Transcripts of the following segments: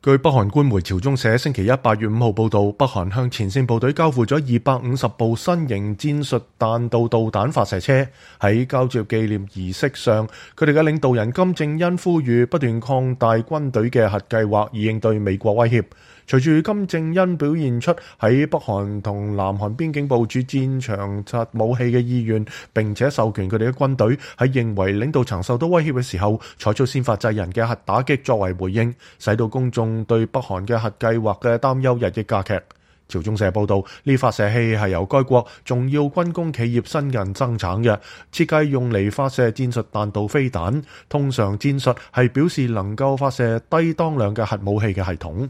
據北韓官媒朝中社星期一8月5號報導，北韓向前線部隊交付咗250部新型戰術彈道導彈發射車。喺交接紀念儀式上，佢哋嘅領導人金正恩呼籲不斷擴大軍隊嘅核計劃，以應對美國威脅。隨住金正恩表現出喺北韓同南韓邊境部署戰場核武器嘅意願，並且授權佢哋嘅軍隊喺認為領導層受到威脅嘅時候，採取先發制人嘅核打擊作為回應，使到公眾對北韓嘅核計劃嘅擔憂日益加劇。朝中社報道，呢發射器係由該國重要軍工企業新人生產嘅，設計用嚟發射戰術彈道飛彈。通常戰術係表示能夠發射低當量嘅核武器嘅系統。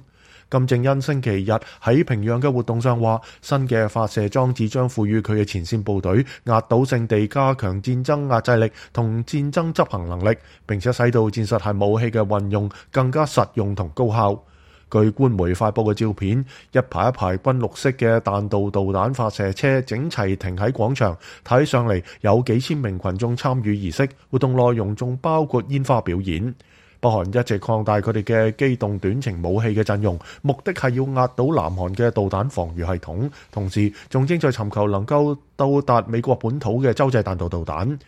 金正恩星期日喺平壤嘅活動上話，新嘅發射裝置將賦予佢嘅前線部隊壓倒性地加強戰爭壓制力同戰爭執行能力，並且使到戰術核武器嘅運用更加實用同高效。據官媒發佈嘅照片，一排一排軍綠色嘅彈道導彈發射車整齊停喺廣場，睇上嚟有幾千名群眾參與儀式，活動內容仲包括煙花表演。北韓一直擴大佢哋嘅機動短程武器嘅陣容，目的係要壓倒南韓嘅導彈防禦系統，同時仲正在尋求能夠到達美國本土嘅洲際彈道導彈。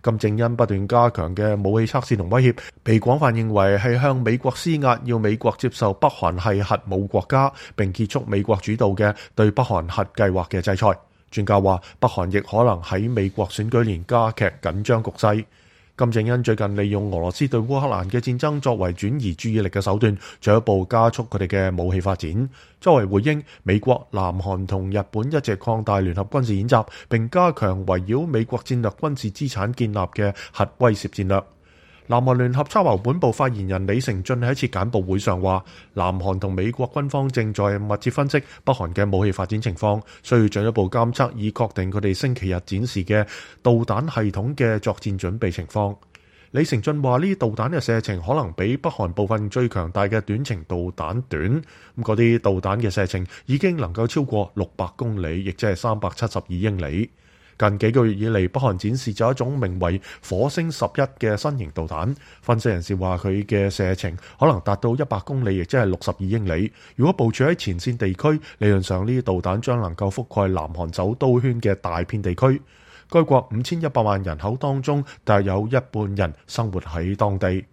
金正恩不斷加強嘅武器測試同威脅，被廣泛認為係向美國施壓，要美國接受北韓係核武國家，並結束美國主導嘅對北韓核計劃嘅制裁。專家話，北韓亦可能喺美國選舉年加劇緊張局勢。金正恩最近利用俄羅斯對烏克蘭嘅戰爭作為轉移注意力嘅手段，進一步加速佢哋嘅武器發展。作為回應，美國、南韓同日本一直擴大聯合軍事演習，並加強圍繞美國戰略軍事資產建立嘅核威懾戰略。南韓聯合參謀本部發言人李成俊喺一次簡報會上話，南韓同美國軍方正在密切分析北韓嘅武器發展情況，需要進一步監測以確定佢哋星期日展示嘅導彈系統嘅作戰準備情況。李成俊話，呢啲導彈嘅射程可能比北韓部分最強大嘅短程導彈短，嗰啲導彈嘅射程已經能夠超過600公里，亦即係372英里。近幾個月以嚟，北韓展示咗一種名為火星11嘅新型導彈。分析人士話，佢嘅射程可能達到100公里，亦即係62英里。如果部署喺前線地區，理論上呢啲導彈將能夠覆蓋南韓首都圈嘅大片地區。該國5100萬人口當中，大約有一半人生活喺當地。